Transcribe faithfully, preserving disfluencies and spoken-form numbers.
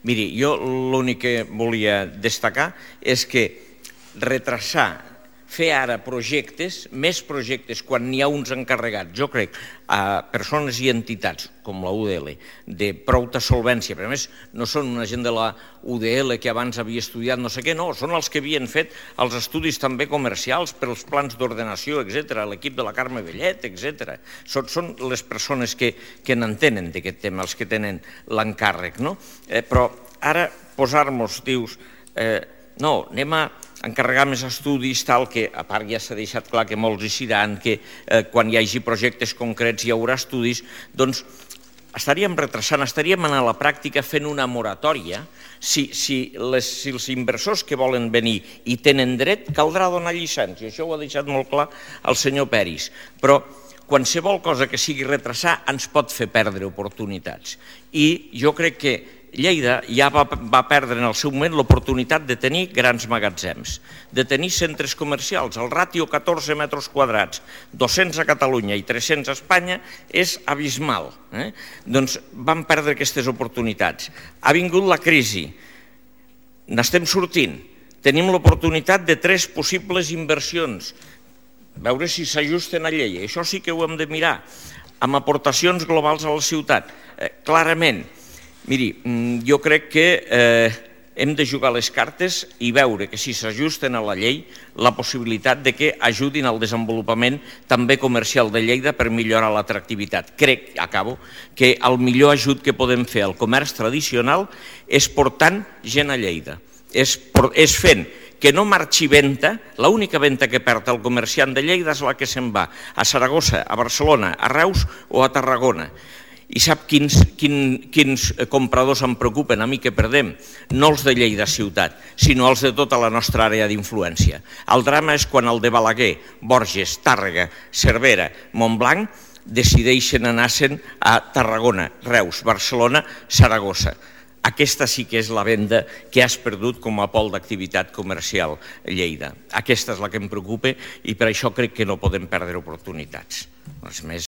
Miri, jo l'únic que volia destacar és que retrasar, fer ara projectes, més projectes, quan n'hi ha uns encarregats, jo crec, a persones i entitats com la U D L, de prou solvència, però a més no són una gent de la U D L que abans havia estudiat no sé què, no, són els que havien fet els estudis també comercials per als plans d'ordenació, etcètera, l'equip de la Carme Bellet, etcètera. Són les persones que n'entenen d'aquest tema, els que tenen l'encàrrec, no? Però ara posar-nos, dius, no, anem a encarregar més estudis, tal, que a part ja s'ha deixat clar que molts hi seran, que quan hi hagi projectes concrets hi haurà estudis, doncs estaríem retrasant, estaríem a la pràctica fent una moratòria. Si els inversors que volen venir i tenen dret, caldrà donar llicència, això ho ha deixat molt clar el senyor Peris, però qualsevol cosa que sigui retrasar ens pot fer perdre oportunitats. I jo crec que Lleida ja va perdre en el seu moment l'oportunitat de tenir grans magatzems, de tenir centres comercials. El ràtio catorze metres quadrats, dos-cents a Catalunya i tres-cents a Espanya, és abismal. Doncs vam perdre aquestes oportunitats. Ha vingut la crisi, n'estem sortint, tenim l'oportunitat de tres possibles inversions, veure si s'ajusten a llei, això sí que ho hem de mirar, amb aportacions globals a la ciutat, clarament. Miri, jo crec que hem de jugar les cartes i veure que si s'ajusten a la llei, la possibilitat de que ajudin al desenvolupament també comercial de Lleida per millorar l'atractivitat. Crec, acabo, que el millor ajut que podem fer al comerç tradicional és portant gent a Lleida, és fent que no marxi venda, l'única venda que perd el comerciant de Lleida és la que se'n va a Saragossa, a Barcelona, a Reus o a Tarragona. I sap quins compradors em preocupen a mi que perdem? No els de Lleida ciutat, sinó els de tota la nostra àrea d'influència. El drama és quan el de Balaguer, Borges, Tàrrega, Cervera, Montblanc decideixen anar-se'n a Tarragona, Reus, Barcelona, Saragossa. Aquesta sí que és la venda que has perdut com a pol d'activitat comercial a Lleida. Aquesta és la que em preocupa i per això crec que no podem perdre oportunitats. Res més.